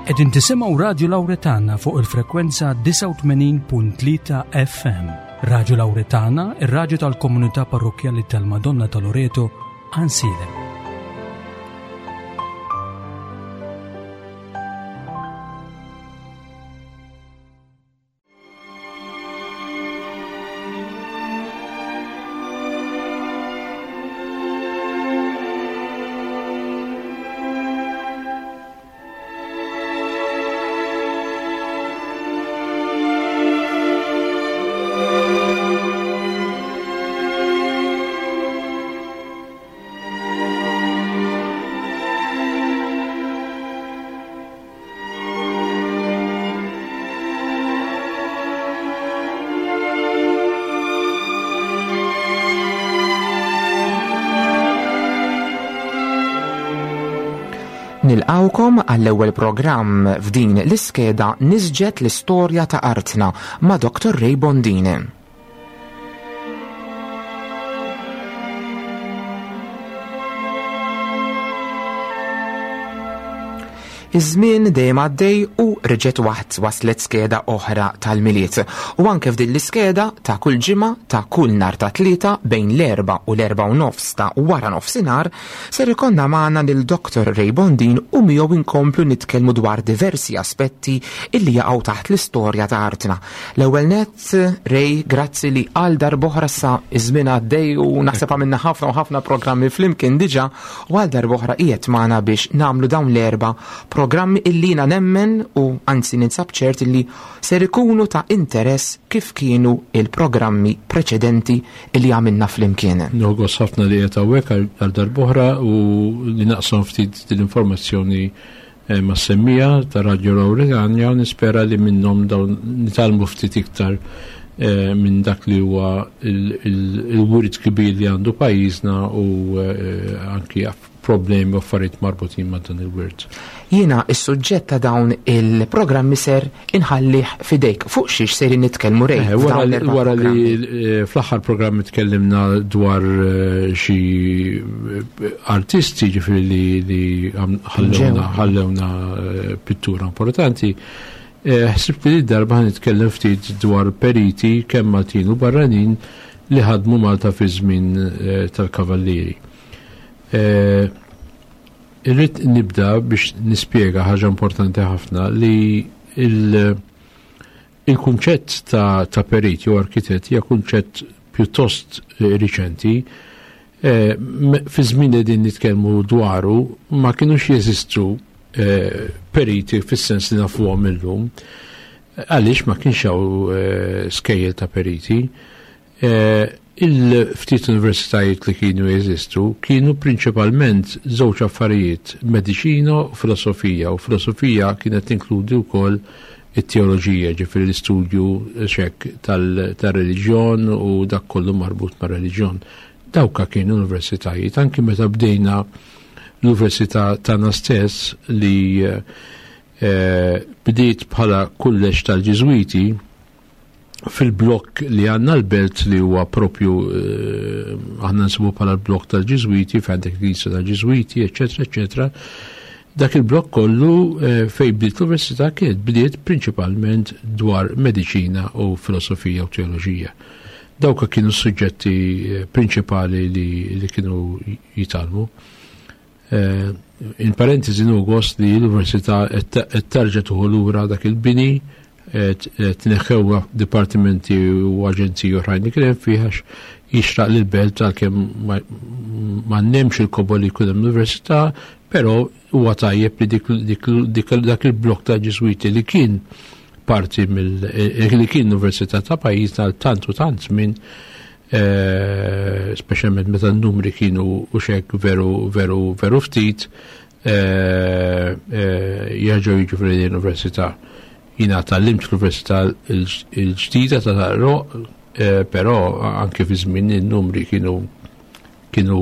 Qegħdin tisimgħu Radju Lawretana fuq il-frekwenza 89.3 FM. Radju Lawretana, ir-radju tal-komunità parrokkjali tal-Madonna ta' Loreto, Ansilem. Nilqawkom għall-ewwel programm f'din l-iskeda Nisġet l-istorja ta' artna ma' Dr. Ray Bondini. Iż-żmien dejjem għaddej u reġgħet waħd waslet skeda oħra tal-Milied. U anke f'din l-iskeda ta' kull ġimgħa ta' kull nhar ta' Tlieta bejn l-erbgħa u l-erbgħa u nofs ta' wara nofsinhar ser ikollna magħna lil Dr. Ray Bondin u miegħu inkomplu nitkellmu dwar diversi aspetti illi jaqgħu taħt l-istorja ta' artna. L-ewwel nett, Ray, grazzi li għal darb'oħra sa iż-żmien għaddej u naħseb għamilna ħafna u ħafna programmi flimkien diġà U għal darb'oħra qiegħed magħna biex nagħmlu dawn l-erba' programmi illi jiena nemmen u anzi ninsab ċert illi ser ikunu ta' interess kif kienu il-programmi preċedenti illi għamilna flimkien. Nieħu gost ħafna li qiegħed hawnhekk għal darb'oħra u li naqsam ftit din l-informazzjoni eh, ma' semmija ta' Radio Lauregania u nispera li minnhom dawn nitgħallmu ftit iktar eh, minn dak li huwa il-wirt kbir li għandu pajjiżna u eh, anki problemi u affarijiet marbutin ma' dan il-wirt. Jiena is-suġġett ta' dawn il-programmi ser inħallih fidejk fuq xiex sejrin nitkellmu Ray. Eh, wara li eh, fl-aħħar programm tkellimna dwar eh, xi artisti ġifieri li ħallewna pittura importanti. Ħsibt li darba nitkellem ftit dwar periti kemm Maltin u barranin li ħadmu Malta fi żmien tal-Kavallieri. Irrid nibda biex nispjega ħaġa importanti ħafna li il-kunċett ta', ta perit jew arkitett hija kunċett pjuttost eh, riċenti. Eh, fi żmien li din nitkellmu dwaru ma kinux jeżistu eh, periti fis-sens li nafuhom illum. Għaliex ma kienx hawn skejjel ta' periti. Il-ftit universitajiet li kienu jeżistu kienu prinċipalment żewġ affarijiet, mediċina u filosofija, u filosofija kienet tinkludi wkoll it-teoloġija, ġifieri l-istudju xek tal-reliġjon u dak kollu marbut ma' reliġjon. Dawka kienu universitajiet, anki meta bdejna l-università tagħna stess li eh, bdiet bħala kulleġġ tal-Ġiżwiti, fil-blokk li għandna l-belt li huwa propju eh, aħna nsibu bħala l-blokk tal-Ġiżwiti, fejn għandek il-Knisja tal-Ġiżwiti, eċetera, eċetera. Dak il-blokk kollu eh, fejn bdiet l-università kienet bdiet prinċipalment dwar mediċina u filosofija u teoloġija. Dawk kienu s-suġġetti eh, prinċipali li, li kienu jitalmu. Eh, in parentesi nu gost li l-Università qed terġa' tuħu lura dak il-bini tneħħew dipartimenti u aġenziji oħrajn li kien hemm fih għax jixraq lil belt għalkemm ma nemx il-kobor li jkun hemm l-università, però huwa tajjeb li dak il-blok ta' Ġiżwiti li kien parti mill eh, li kien l-Università ta' pajjiżna tant u tant żmien Eh, speċjalment meta n-numri kienu u xek veru veru veru ftit, eh, eh, jerġgħu jiġu fl-università. Jina tgħallimt fl-università il-ġdida ta' Tarro, però anke fi żmien in-numri kienu kienu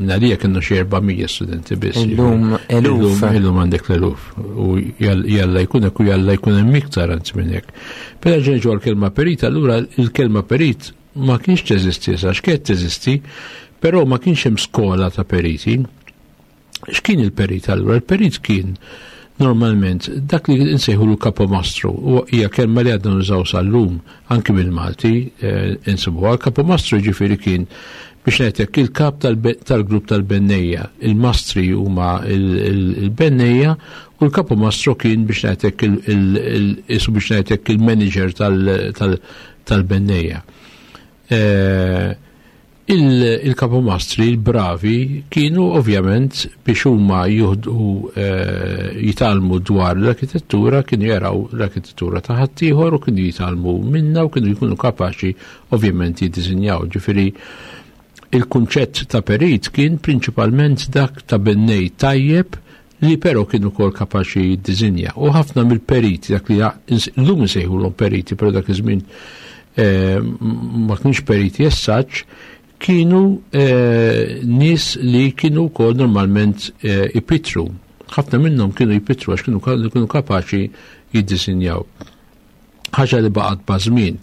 nalija kienu xi 400 studenti biss. Illum eluf. Illum għandek l-eluf. U jalla jkun hekk u jalla jkun hemm iktar anzi minn hekk. Però ġenġu għall-kelma perit, allura il-kelma perit ma kienx teżisti sa x'kienet teżisti, però ma kienx hemm skola ta' periti. X'kien il-perit allura? Il-perit kien Normalment, dak li nsejħulu kapomastru, u hija kelma li għadna nużaw sal-lum, anki bil-Malti, insibuha. Kapomastru ġifieri kien biex ngħidlek il-kap tal-grupp tal-bennejja. Il-mastri huma il-bennejja u l-kapomastru kien biex ngħidlek isu biex ngħidlek il-manager tal-bennejja. Il-kapomastri, il-bravi, kienu ovvjament biex huma juhdu jitgħallmu dwar l-arkitettura, kienu jaraw l-arkitettura ta' ħaddieħor u kienu jitgħallmu minna u kienu jkunu kapaċi ovvjament jiddisinjaw. Ġifieri il-kunċett ta' perit kien prinċipalment dak ta' bennej tajjeb li però kienu ukoll kapaċi jiddisinja. U ħafna mill-periti, dak li llum insejħulhom periti, però dak iż-żmien ma kienx periti essaċ, kienu nies li kienu wkoll normalment ipitru. Ħafna minnhom kienu jpitru għax kienu kapaċi jiddisinjaw. Ħaġa li baqgħet bażmin.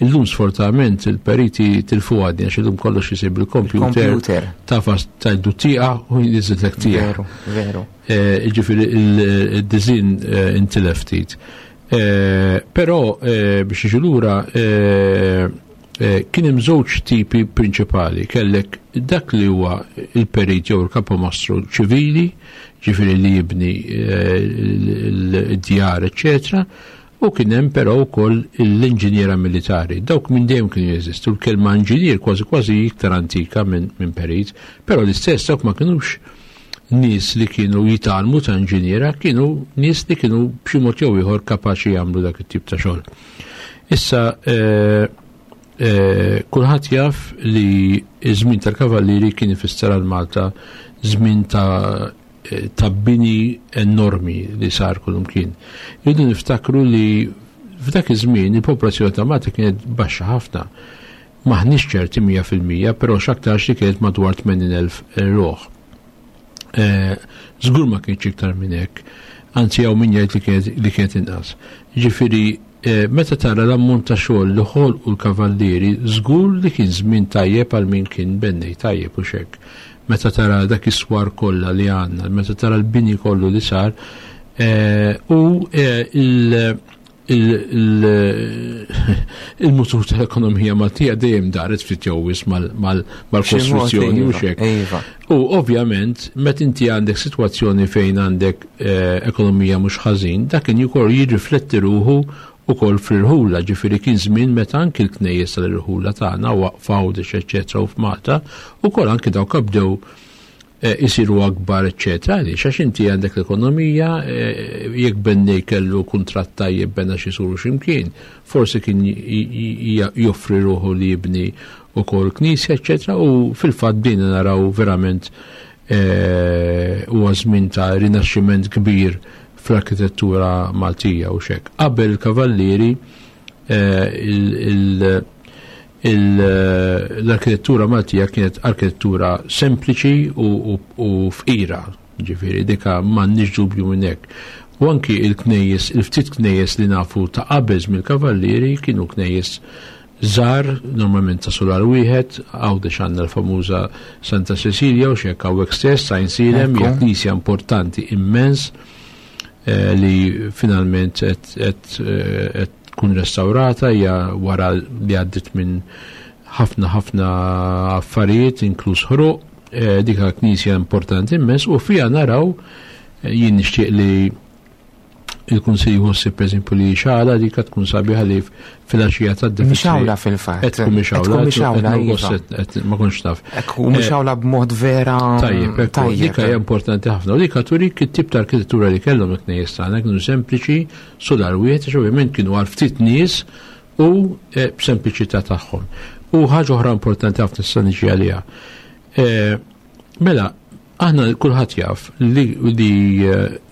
Illum sfortunatament il-periti tilfu għadni għax illum kollox isir bil-kompjuter. Computer. Tafas tajdu tieqa u jinżillek tieqa. Veru, veru. Ġifieri il-dizin intilef ftit. Però biex niġu lura, kien hemm żewġ tipi prinċipali. Kellek dak li huwa il-perit jew il-kapomastru ċivili, ġifieri li jibni l-djar, eċċetera, u kien hemm però wkoll l-inġiniera militari. Dawk minn dejjem kienu jeżistu. Il-kelma inġinier kważi kważi iktar antika minn perit, però l-istess dawk ma kinux nies li kienu jitgħallmu ta' inġiniera, kienu nies li kienu b'xi mod jew ieħor kapaċi jagħmlu dak it-tip ta' xogħol. Issa, kulħadd jaf li ż-żmien tal-Kavallieri kien ifisser għal Malta żmien ta' bini enormi li sar kullumkien. Irridu niftakru li f'dak iż-żmien il-popolazzjoni ta' Malta kienet baxxa ħafna. Maħniex ċerti 100%, però x'aktarx li kienet madwar 80,000 ruħ. Żgur ma kienx iktar minn hekk, anzi hawn min jgħid li kienet inqas. Ġifieri, meta tara l-ammont ta' xogħol li ħolqu l-kavallieri, żgur li kien żmien tajjeb għal min kien bennej tajjeb u xek. Meta tara dak is-swar kollha li għandna, meta tara l-bini kollu li sar, u il-mutur tal-ekonomija Maltija dejjem daret ftit jew wisq mal-kostruzzjoni u xek. U ovvjament, meta inti għandek sitwazzjoni fejn għandek ekonomija mhux ħażin, dak kien ukoll jirrifletti ruħu ukoll fl-irħula, ġifieri kien żmien meta anki l-knejjes tal-irħula tagħna waqfa Għawdex eċċetera u f'Malta, ukoll anki dawk bdew isiru akbar eċċetera. Għaliex? Għax inti għandek l-ekonomija, jekk bennej kellu kuntratt tajjeb bena xi suru x'imkien, forsi kien joffri ruħu li jibni ukoll knisja eċċetera, u fil-fatt bdejna naraw verament huwa żmien ta' rinaxximent kbir fl-arkitettura Maltija u xek. Qabel il-Kavallieri, l-arkitettura Maltija kienet arkitettura sempliċi u fqira, ġifieri dika m'għandniex dubju minn hekk. U anki il-knejjes, il-ftit knejjes li nafu ta' qabel mill-Kavallieri kienu knejjes żgħar, normalment ta' solar wieħed, Għawdex għandna l-famuża Santa Cecilia u xek hawnhekk stess, Għajnsielem, hija knisja importanti immens li finalment qed tkun restaurata, hija wara li għaddit minn ħafna ħafna affarijiet, inkluż ħruq, dika knisja importanti immens, u fija naraw, jien nixtieq li il-Kunsill jħossi per eżempju li xala dika tkun sabiħa li fil-għaxija ta' d Mixawla fil-fatt. Qed tkun mixawla, Qed tkun mixawla, qed iva. qed ma kontx naf. Ekku, mixawla b'mod vera Tajjeb, ekku, tajjeb. Dika hija importanti ħafna. U dika turik it-tip ta' arkitettura li kellhom il-knejjes tagħna kienu sempliċi, solar wieħed, għax ovvjament kienu għal ftit nies u b'sempliċità tagħhom. U ħaġa oħra importanti ħafna issa niġi għaliha. Mela, aħna kulħadd jaf li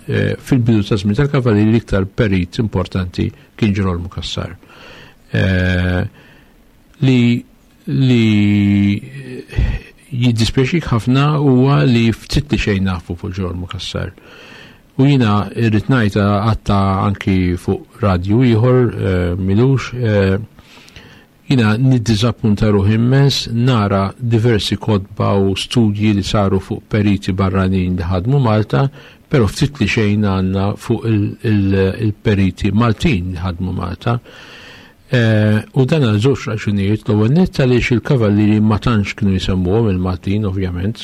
fil-bidu ta' żmien tal-Kavallieri l-iktar perit importanti kien Ġirolmu Cassar. Li jiddispjaċik ħafna huwa li ftit li xejn nafu fuq Ġirolmu Cassar. U jiena irrid ngħid għatta anki fuq radju ieħor milux, jiena niddiżappunta ruħi immens nara diversi kotba u studji li saru fuq periti barranin li ħadmu Malta, Però ftit li xejn għandna fuq il-periti Maltin li ħadmu Malta. U dan għal żewġ raġunijiet, l-ewwel nett għaliex il-kavallieri ma tantx kienu jsemmuhom il-Maltin ovvjament.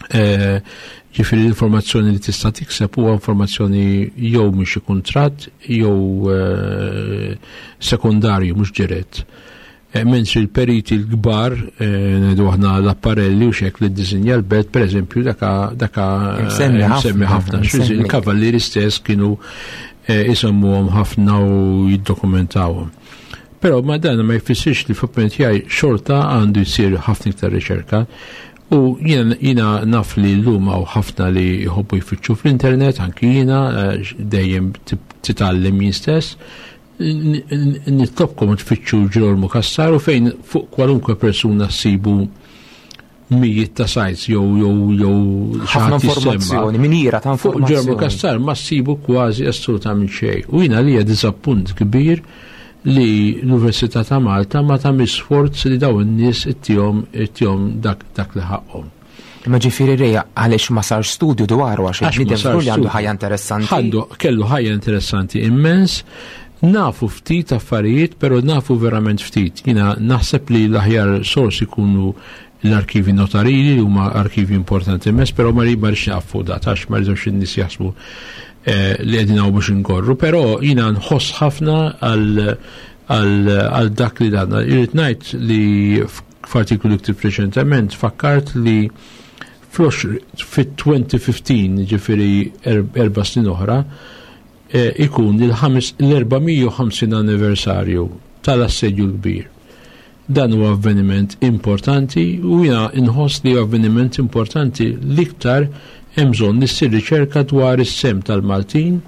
Ġifieri l-informazzjoni li tista' tikseb huwa informazzjoni jew minn xi kuntratt jew sekondarju mhux dirett. Mentri l-periti l-kbar, ngħidu aħna l-apparelli u xek li ddisinja l-belt, per eżempju, daka Msemmi ħafna. Il-kavallieri stess kienu isemmuhom ħafna u jiddokumentawhom. Però ma dan ma jfissirx li f'opinjoni tiegħi xorta għandu jsir ħafna iktar riċerka. U jiena naf li llum hawn ħafna li jħobbu jfittxu fl-internet, anki jiena dejjem titgħallem jien stess. Nitlobkom tfittxu Ġirolmu Cassar u fejn fuq kwalunkwe persuna ssibu mijiet ta' sites jew jew jew ħafna informazzjoni, minira ta' informazzjoni. Fuq Ġirolmu Cassar ma ssibu kważi assolutament xejn. U jiena li hija diżappunt kbir li l-Università ta' Malta ma tagħmilx sforz li dawn in-nies ittihom dak li ħaqhom. Imma ġifieri Reja, għaliex ma sarx studju dwaru, għax il-bniedem żgur li għandu ħajja interessanti. Għandu, kellu ħajja interessanti immens, nafu ftit affarijiet, però nafu verament ftit. Jiena naħseb li l-aħjar sors ikunu l-arkivi notarili, li huma arkivi importanti immens, però ma rridx naqaf fuq dat, għax ma rridux in-nies jaħsbu li qegħdin hawn biex inkorru, però jiena nħoss ħafna għal dak li danna. Irrid ngħid li f'artiklu li ktibt reċentement fakkart li fit-2015, ġifieri 4 snin oħra, ikun l-450 anniversarju tal-Assedju l-Kbir. Dan huwa avveniment importanti u jiena nħoss li avveniment importanti l-iktar hemm bżonn li ssir riċerka dwar is-sem tal-Maltin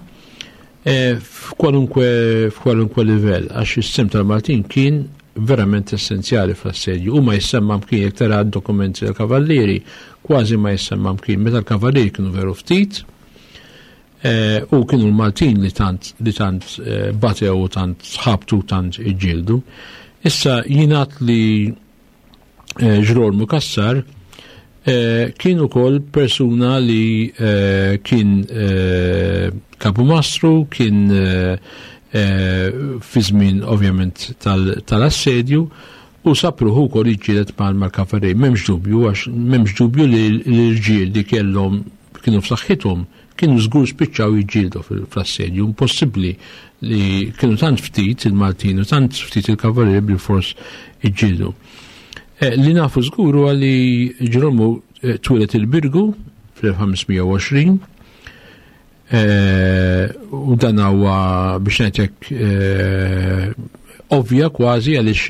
f'kwalunkwe livell, għax is-sem tal-Maltin kien verament essenzjali fl-assedju. U ma jissemma mkien, jekk tara d-dokumenti tal-kavallieri, kważi ma jissemma mkien. Meta l-kavallieri kienu veru ftit, u kienu l-Maltin li tant, li tant batew u tant ħabtu u tant iġġieldu. Issa jingħad li Ġirolmu Cassar kien ukoll persuna li kien kapumastru, kien fi żmien ovvjament tal-assedju, u sapruħu wkoll jiġġieled mal-kavallieri. M'hemmx dubju, għax m'hemmx dubju li l-irġiel li kellhom kienu f'saħħithom kienu żgur spiċċaw jiġġieldu fl-assedju. Impossibbli li kienu tant ftit il-Maltin u tant ftit il-kavallieri bil-fors iġġieldu. Li nafu żgur huwa li Ġirolmu twieled il-Birgu fl-1520, u dan huwa biex ngħidlek ovvja kważi, għaliex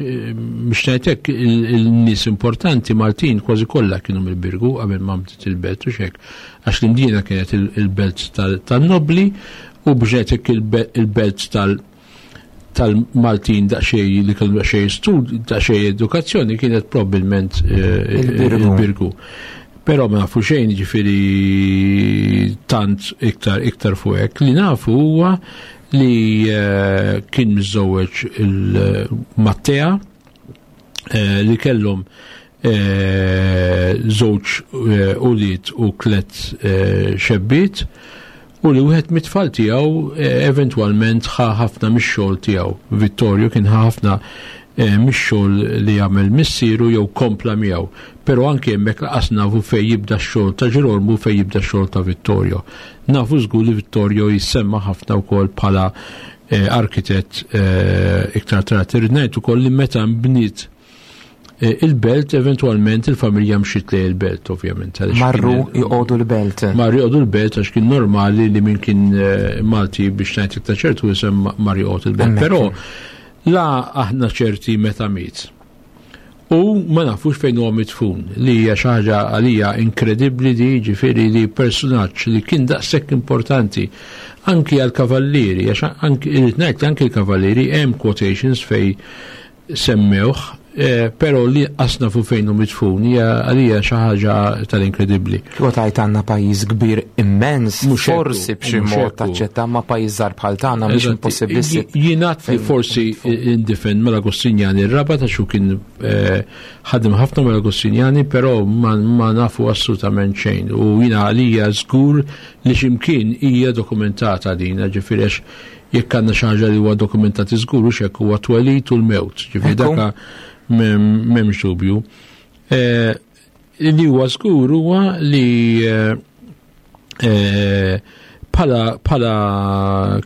biex ngħidlek il-nies importanti Maltin kważi kollha kienu mill-Birgu qabel ma bdiet il-belt u xek, għax l-Imdina kienet il-belt tan-nobli u biex ngħidlek il-belt tal-Maltin daqsxejn li kellu daqsxejn stud, daqsxejn edukazzjoni kienet probabbilment Il-Birgu. il-Birgu. Però ma nafu xejn, ġifieri tant iktar fuq hekk. Li nafu huwa li kien miżżewweġ il-Mattea li kellhom żewġ ulied u tliet xebbiet, u li wieħed mit-tfal tiegħu eventwalment ħa ħafna mix-xogħol tiegħu. Vittorio kien ħa ħafna mix-xogħol li jagħmel missieru jew kompla miegħu. Però anke hemmhekk laqas nafu fejn jibda x-xogħol ta' Ġirolmu fejn jibda x-xogħol ta' Vittorio. Nafu żgur li Vittorio jissemma ħafna wkoll bħala arkitett iktar tard. Irrid ngħid ukoll li meta nbniet il-belt, eventwalment il-familja mxiet lejn il-belt, ovvjament, għaliex kien Marru joqogħdu l-belt. Marru joqogħdu l-belt għax kien normali li min kien Malti biex ngħid iktar ċertu isem mar joqgħod il-belt. Hemmhekk. Però la aħna ċerti meta miet. U ma nafux fejn huwa midfun, li hija xi ħaġa għalija inkredibbli di, ġifieri li personaġġ li kien daqshekk importanti anki għall-kavallieri, għax anki irid ngħid li anki l-kavallieri hemm quotations fej semmewh Però li qasna fu fejn hu midfun hija għalija xi ħaġa tal-inkredibbli. Kieku tajt għandna pajjiż kbir immens, forsi b'xi mod taċċetta ma pajjiż żgħar bħal tagħna mhix impossibbli. Jingħad li forsi indifen mal-Agostinjani r-raba ta' xu kien ħadem ħafna mal-Agostinjani, però ma nafu assolutament xejn. U jiena għalija żgur li x'imkien hija dokumentata din, ġifieri għax jekk għandna xi ħaġa li huwa dokumentati żgur u x'hekk huwa twelid u l-mewt, ġifieri daka m'hemmx dubju. Li huwa żgur huwa li bħala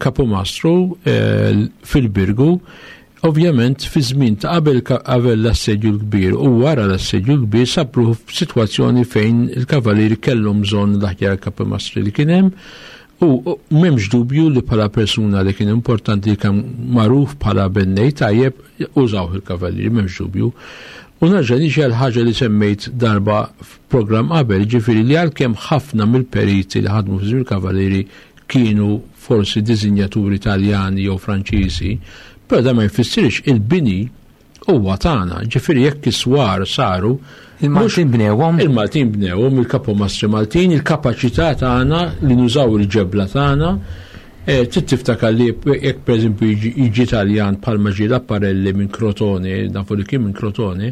kapomastru fil-Birgu, ovvjament fi żmien ta' qabel l-assedju l-kbir u wara l-assedju l-kbir sabruħu f'sitwazzjoni fejn il-kavalieri kellhom bżonn l-aħjar kapomastri li kien hemm. U m'hemmx dubju li bħala persuna li kien importanti li kien magħruf bħala bennej tajjeb użawh il-kavallieri, m'hemmx dubju. U nerġa' niġi għal ħaġa li semmejt darba f'programm qabel, ġifieri li għalkemm ħafna mill-periti li ħadmu fi żmien il-kavallieri kienu forsi disinjaturi Taljani jew Franċiżi, però dan ma jfissirx il-bini huwa tagħna, ġifieri jekk is-swar saru, Il-Maltin bnewhom. Il-Maltin bnewhom, il-kapomastri Maltin, il-kapaċità tagħna li nużaw il-ġebla tagħna. Trid tiftakar li jekk pereżempju jiġi Taljan bħalma ġie Laparelli minn Crotone, nafu li kien minn Crotone,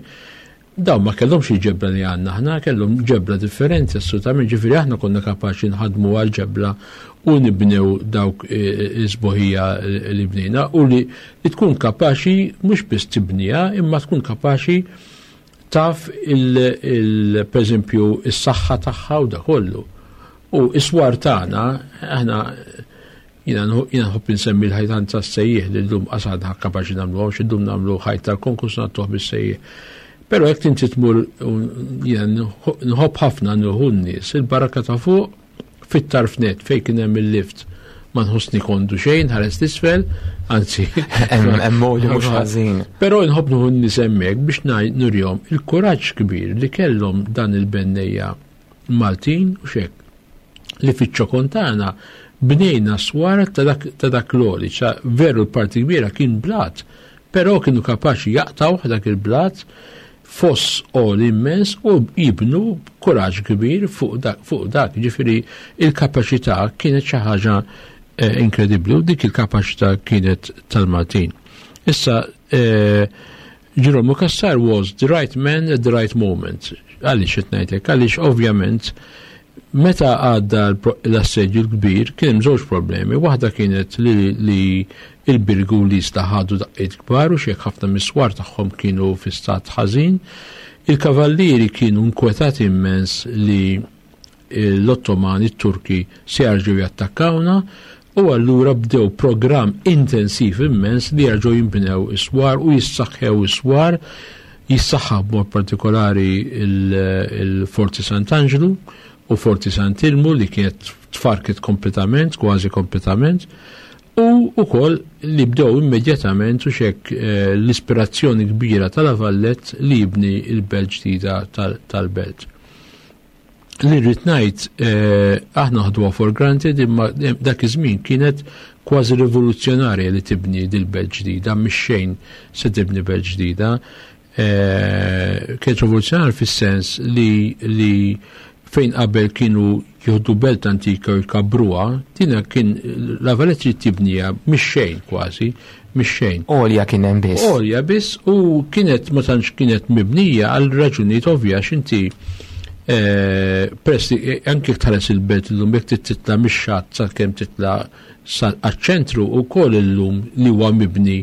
dawn ma kellhomx il-ġebla li għandna aħna, kellhom ġebla differenti assolutament, ġifieri aħna konna kapaċi nħadmu għal-ġebla u nibnew dawk is-sbuħija li bnejna u li tkun kapaċi mhux biss tibniha imma tkun kapaċi taf per eżempju is-saħħa tagħha u da kollu. U is-swar tagħna aħna jiena nħobb insemmi l-ħajtan tas-sejjieħ li llum qasad kapaċi nagħmluhom, xi llum nagħmlu ħajt tal-konkurs nagħtuh bis-sejjieħ. Però jekk inti tmur jiena nħobb ħafna nieħu n-nies il-baraka ta' fuq fit-tarf net fejn kien hemm il-lift ma nħossni kondu xejn, ħares l-isfel, anzi. Hemm moli mhux ħażin. Però nħobb nieħu n-nies hemmhekk biex nurihom il-kuraġġ kbir li kellhom dan il-bennejja Maltin u xek li fiċ-ċokon tagħna bnejna swar ta' dak l-għoli, ċa veru l-parti kbira kien blat, però kienu kapaċi jaqtgħu dak il-blat foss għoli immens u jibnu kuraġġ kbir fuq dak. Ġifieri il-kapaċità kienet xi ħaġa inkredibbli u dik il-kapaċità kienet tal-Maltin. Issa, Ġirolmu Cassar was the right man at the right moment. Għaliex qed ngħidlek? Għaliex ovvjament meta għadda l-assedju l-kbir kien hemm żewġ problemi. Waħda kienet li il-Birgu li jista' ħadu daqqiet kbar u xejn ħafna miswar tagħhom kienu fi stat ħażin. Il-kavallieri kienu nkwetati immens li l-Ottomani, t-Turki se jarġgħu jattakkawna u allura bdew programm intensiv immens li jarġgħu jinbnew is-swar u jissaħħew is-swar, jissaħħaw b'mod partikolari il-Forti Sant'Angelo u Forti Sant'Ilmu li kienet tfarket kompletament, kważi kompletament, u wkoll li bdew immedjatament u xek l-ispirazzjoni kbira tal-La Valette li jibni il-belt ġdida tal-belt. Li rrid ngħid, aħna ħduha for granted, imma dak iż-żmien kienet kważi rivoluzzjonarja li tibni dil-belt ġdida, mhix xejn se tibni belt ġdida. Kienet rivoluzzjonarja fis-sens li fejn qabel kienu jieħdu belt antika u jkabbruha, dina kien La Valette trid tibniha mhix xejn kważi, mhix xejn. Għolja kien hemm biss. Għolja biss u kienet ma tantx kienet mibnija għal raġunijiet ovvja għax inti peress li anke jekk tħares il-belt illum jekk trid titla' mix-xatt sakemm titla' għaċ-ċentru wkoll illum li huwa mibni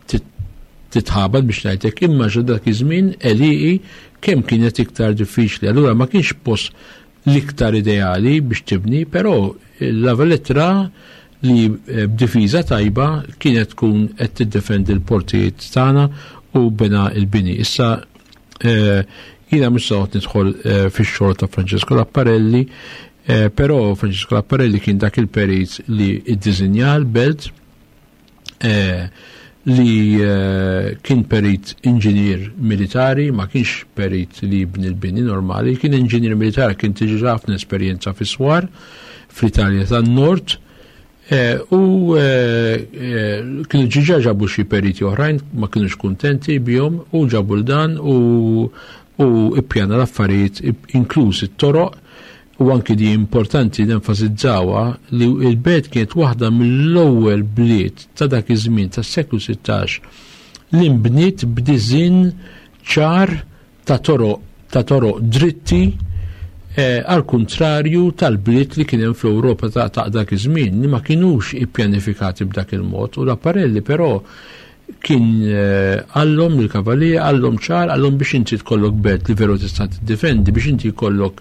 titħabad biex ngħidlek, imma ġo dak iż-żmien għelieqi kemm kienet iktar diffiċli. Allura ma kienx post l-iktar ideali biex tibni, però La Valette ra li b'difiża tajba kienet tkun qed tiddefendi l-portijiet tagħna u bena l-bini. Issa jiena mhux se noqgħod nidħol fix-xogħol ta' Francesco Laparelli, però Francesco Laparelli kien dak il-perit li iddisinja l-belt, li kien perit inġinier militari, ma kienx perit li jibni l-bini normali, kien inġinier militari, kien tiġi ħafna esperjenza fis-swar fl-Italja tan-Nord. U kienu ġiġa ġabu xi periti oħrajn ma kienux kuntenti bihom u ġabu l-dan u ippjana l-affarijiet inkluż it-toroq. U anki di importanti nenfasizzawha li l-belt kienet waħda mill-ewwel bliet ta' dak iż-żmien tas-seklu 16 li nbniet b'diżinn ċar ta' toroq ta' toroq dritti, għal kuntrarju tal-bliet li kien hemm fl-Ewropa ta' dak iż-żmien li ma kinux ippjanifikati b'dak il-mod. U l-apparelli però kien għallhom lill-kavallieri, għallhom ċar, għallhom biex inti tkollok belt li veru tista' tiddefendi, biex inti jkollok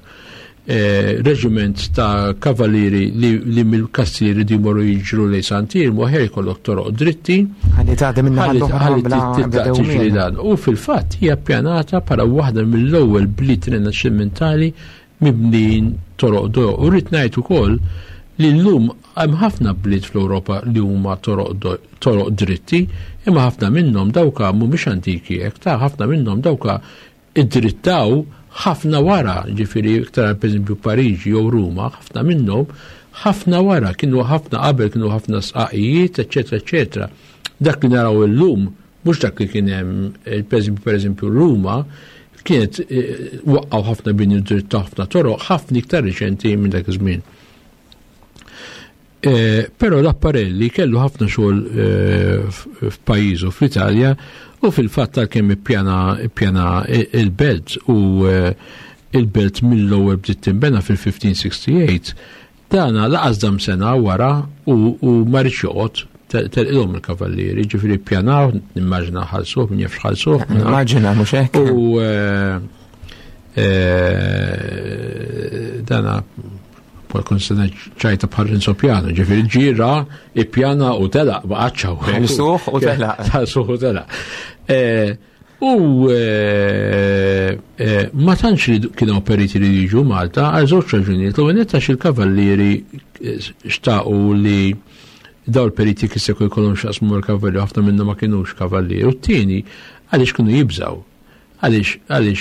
reġiment ta' kavallieri li mill-kastilji jridu jmorru jiġru lejn Sant'Iermu, aħjar jkollok toroq dritti. Ħalli tgħaddi minn naħa l-oħra Ħalli bla titlaq bla tiġri dewmien. dan. U fil-fatt hija ppjanata bħala waħda mill-ewwel bliet rinaxximentali mibnijin toroq dojoq. U rrid ngħid ukoll li llum hemm ħafna bliet fl-Ewropa li huma toroq dritti, imma ħafna minnhom dawka mhumiex antiki hekk, ta' ħafna minnhom dawka id-drittaw ħafna wara, ġifieri iktar pereżempju Pariġi jew Ruma, ħafna minnhom ħafna wara, kienu ħafna qabel, kienu ħafna sqaqijiet, eċetera, eċetera. Dak li naraw illum, mhux dak li kien hemm, pereżempju Ruma, kienet waqqgħu ħafna bini dritt ħafna toroq, ħafna iktar riċenti minn dak iż-żmien. Però l-Apparelli kellu ħafna xogħol f'pajjiżu fl-Italja, u fil-fatt tal-kemm ippjana il-belt u il-belt mill-ewwel bdiet tinbena fil-1568, dana laqas dam sena wara u ma rridx joqgħod telqilhom il-kavallieri, ġifieri ppjanaw, nimmaġina ħalsuh, min jaf x'ħalsuh. Nimmaġina mhux hekk. U dana poi kun sena ċajta bħal Renzo Piano, ġifieri ġira, ippjana u telaq, ma qatx hawnhekk. Ħalsuh u telaq. Ħalsuh u telaq. U ma tantx li kienu periti li jiġu Malta għal żewġ raġunijiet. L-ewwel nett għax il-kavallieri xtaqu li daw il-periti kif se jkollhom x'jaqsmu mal-kavallieri, ħafna minnhom ma kinux kavallieri. U t-tieni għaliex kienu jibżgħu. Għaliex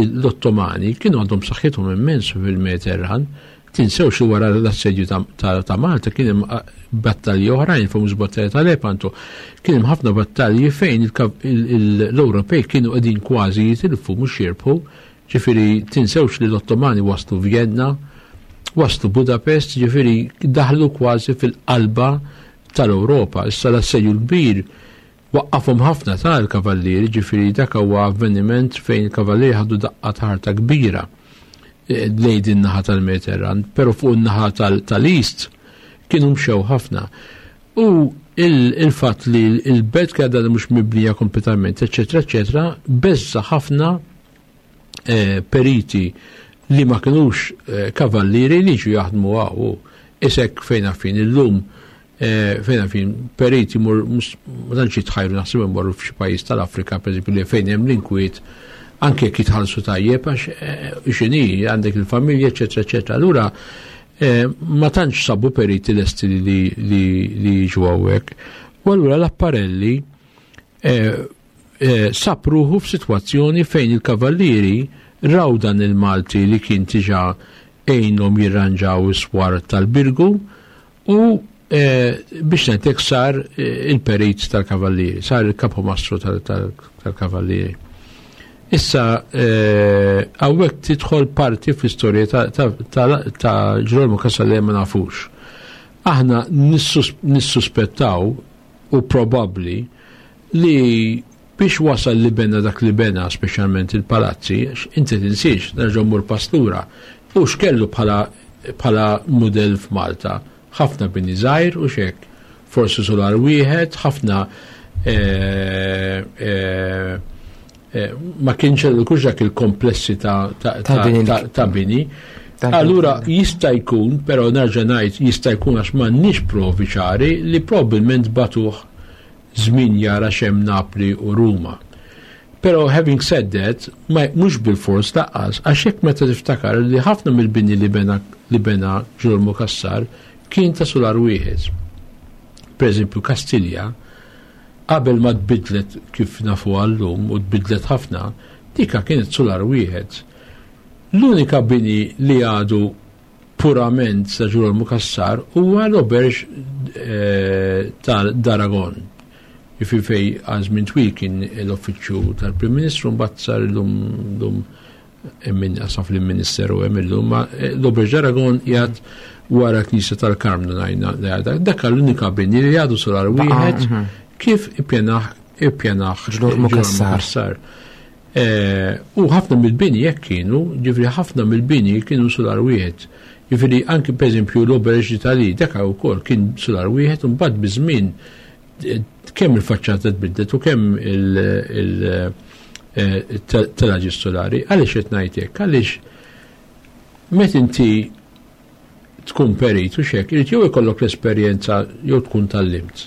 l-Ottomani kienu għandhom saħħithom immens fil-Mediterran. Tinsewx li wara l-assedju ta' Malta kien hemm battalji oħrajn, famuż battalja ta' Lepanto, kien hemm ħafna battalji fejn l-Ewropej kienu qegħdin kważi jitilfu mhux jirbħu. Ġifieri tinsewx li l-Ottomani waslu Vienna, waslu Budapest, ġifieri daħlu kważi fil-qalba tal-Ewropa. Issa l-assedju l-kbir waqqafhom ħafna tal-kavallieri, ġifieri dak huwa avveniment fejn il-kavallieri ħadu daqqa ta' ħarta kbira lejn din naħa tal-Mediterran, però fuq in-naħa tal-East kienu mxew ħafna. U il-fatt li l-belt kien għadha mhux mibnija kompletament, eċetera, eċetera, beżza ħafna periti li ma kinux kavallieri li ġu jaħdmu hawn. Isek fejn għafin illum fejn għafin periti mur, mus, ma tantx jitħajru naħseb imorru f'xi pajjiż tal-Afrika, pereżempju, li fejn hemm l-inkwiet, anke jekk jitħallsu tajjeb għax x'inhi għandek il-familja, eċetera, eċetera. Allura ma tantx sabu periti lesti li jiġu hawnhekk. U allura l-apparelli sab ruħu f'sitwazzjoni fejn il-kavallieri raw dan il-Malti li kien diġà għinhom jirranġaw is-swar tal-Birgu u biex ngħidlek sar il-perit tal-kavallieri, sar il-kapomastru tal-kavallieri. Issa hawnhekk tidħol parti fl-istorja ta' Ġirolmu Cassar li ma nafux. Aħna nissuspettaw u probabbli li biex wasal li bena dak li bena, speċjalment il-palazzi, għax inti tinsiex, nerġa' mmur pastura, u x'kellu bħala mudell f'Malta. Ħafna bini żgħir u xek, forsi solar wieħed, ħafna ma kienx kellu kux dak il-komplessi Ta' bini li ta' bini. Ta' Allura bini. jista' jkun, però nerġa' ngħid jista' jkun għax m'għandniex provi ċari li probabbilment batuh żmien jara x'hemm Napli u Ruma. Però having said that, ma mhux bil-fors laqqas, għax hekk meta tiftakar li ħafna mill-bini li bena Ġirolmu Cassar kien ta' solar wieħed. Per eżempju, Kastilja, qabel ma tbidlet kif nafu għallum u tbidlet ħafna, dika kienet solar wieħed. L-unika bini li għadu purament ta' Ġirolmu Cassar huwa l-Auberge ta' d'Aragon. Jiġifieri fej għal żmien twil kien l-uffiċċju tal-Prim Ministru, mbagħad sar illum lum min qasam fil-Ministeru hemm illum, ma l-Auberge d'Aragon qiegħed wara l-Knisja tal-Karmnu ngħidna dak l-unika bini li għadu solar wieħed kif ippjanah Ġlormu Cassar. U ħafna mill-bini jekk kienu, ġifieri ħafna mill-bini kienu solar wieħed. Ġifieri anki pereżempju l-Auberge d'Italie dak ukoll kien solar wieħed u mbagħad biż-żmien kemm il-faċċata tbidlet u kemm il-telaġi solari. Għaliex qed ngħid hekk? Għaliex meta inti tkun perit u xek, irid jew ikollok l-esperjenza jew tkun tallimt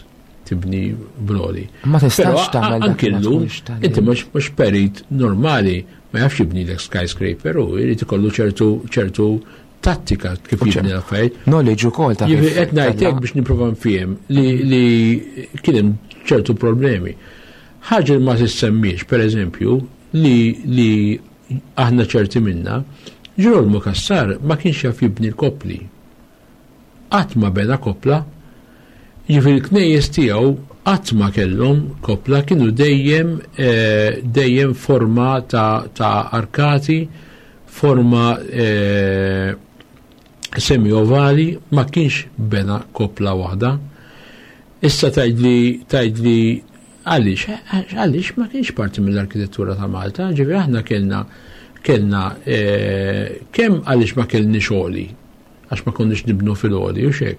tibni broli. Ma tistax tagħmel anke llum, inti mhux perit normali ma jafx jibni l skyscraper u jrid ikollu ċertu tattika kif jibni l-affarijiet. Knowledge ukoll ta' kif. Qed ngħid hekk biex nipprova nfiem li kien hemm ċertu problemi. Ħaġa li ma tissemmiex, pereżempju, li aħna ċerti minna, Ġirolmu Cassar ma kienx jaf jibni l-kopli. Qatt ma bena kopla. Jiġifieri l-knejjes tiegħu qatt ma kellhom kopla, kienu dejjem dejjem forma ta' arkati, forma semi-ovali, ma kienx bena kopla waħda. Issa tgħidli tgħidli għaliex, għaliex ma kienx parti mill-arkitettura ta' Malta, ġifieri aħna kellna kellna kemm għaliex ma kellniex għoli, għax ma konniex nibnu fil-għoli u xek.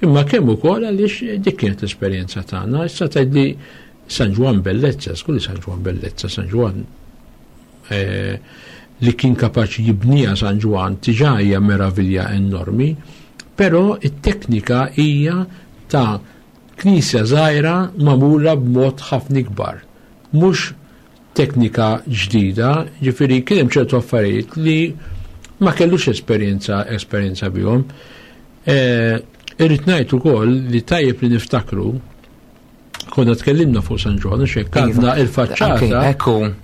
Imma kemm ukoll għaliex dik kienet l-esperjenza tagħna, issa tgħidli San Ġwann Bellezza, skulli San Ġwann Bellezza, San Ġwann li kien kapaċi jibnija San Ġwann tiġà hija meravilja enormi, però it-teknika hija ta' knisja żgħira magħmula b'mod ħafna ikbar. Mhux teknika ġdida, ġifieri kien hemm ċertu affarijiet li ma kellux esperjenza bihom. Irrid ngħid ukoll li tajjeb li niftakru konna tkellimna fuq San Ġwann, u xek għandna il-faċċata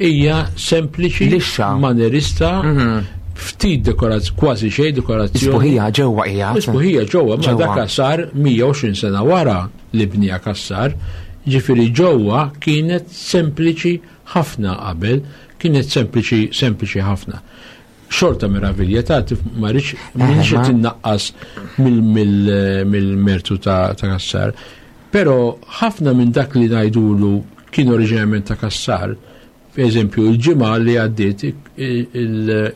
hija sempliċi, manerista, ftit dekorazzjoni, kważi xejn dekorazzjoni. Isbuħija ġewwa hija. Isbuħija ġewwa, ma dak sar 120 sena wara li bnija Cassar, ġifieri ġewwa kienet sempliċi ħafna qabel, kienet sempliċi, sempliċi ħafna. Xorta meravilja ta' ma rridx minix qed innaqqas mill-mertu ta' Cassar. Però ħafna minn dak li ngħidulu kien oriġinarjament ta' Cassar. Per eżempju, il-ġimgħa li għaddiet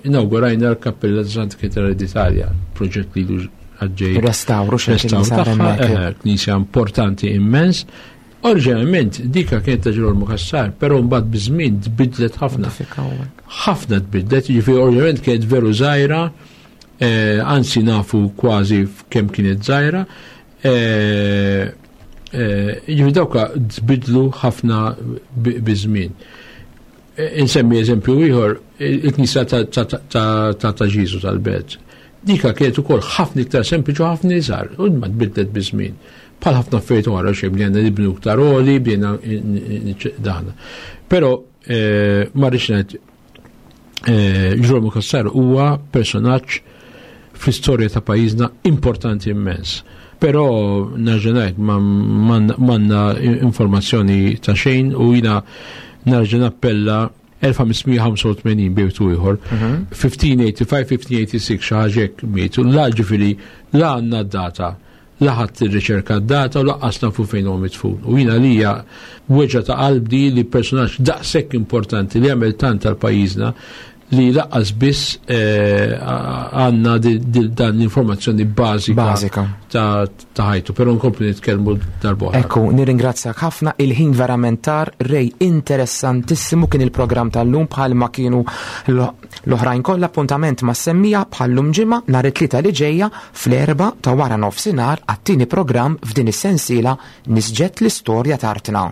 inaugurajna l-Kappella ta' Santa Katerina d'Italia, proġett li ilu għaddej. Restawru xi Restawru sar tagħha, hemmhekk. knisja importanti immens. Oriġinarjament dika kienet ta' Ġirolmu Cassar, però mbagħad biż-żmien tbidlet ħafna. Modifikaw hekk. Ħafna tbidlet, jiġifieri oriġinarjament kienet veru żgħira, anzi nafu kważi kemm kienet żgħira. Jiġifieri dawka tbidlu ħafna biż-żmien. Insemmi eżempju ieħor, il-knisja ta' Ġiżu tal-Belt. Dika kienet ukoll ħafna iktar sempliċi u ħafna iżgħar, u ma tbidlet biż-żmien. Bħal ħafna affarijiet oħra, xejn bdejna nibnu iktar għoli, bdejna daħna. Però ma rridx ngħid Ġirolmu Cassar huwa personaġġ fl-istorja ta' pajjiżna importanti immens. Però nerġa' ngħid m'għandna informazzjoni ta' xejn u jiena nerġa' nappella 1585 bejtu ieħor, 1585, 1586 xi ħaġa hekk mietu, la ġifieri la għandna d-data, la ħadd irriċerka d-data u laqqas nafu fejn huwa midfun. U jiena lija weġgħa ta' qalbi li personaġġ daqshekk importanti li għamel tant tal pajjiżna li laqqas biss għandna dan l-informazzjoni bażika Bażika. ta' ħajtu, però nkomplu nitkellmu darb'oħra. Ekku, nirringrazzjak ħafna, il-ħin verament tar, Ray, interessantissimu kien il-programm tal-lum bħalma kienu l-oħrajn kollha, appuntament ma' semmija bħallum ġimgħa nhar it-Tlieta li ġejja fl-4 ta' wara nofsinhar għat-tieni programm f'din is-sensiela Nisġet l-istorja t'artna.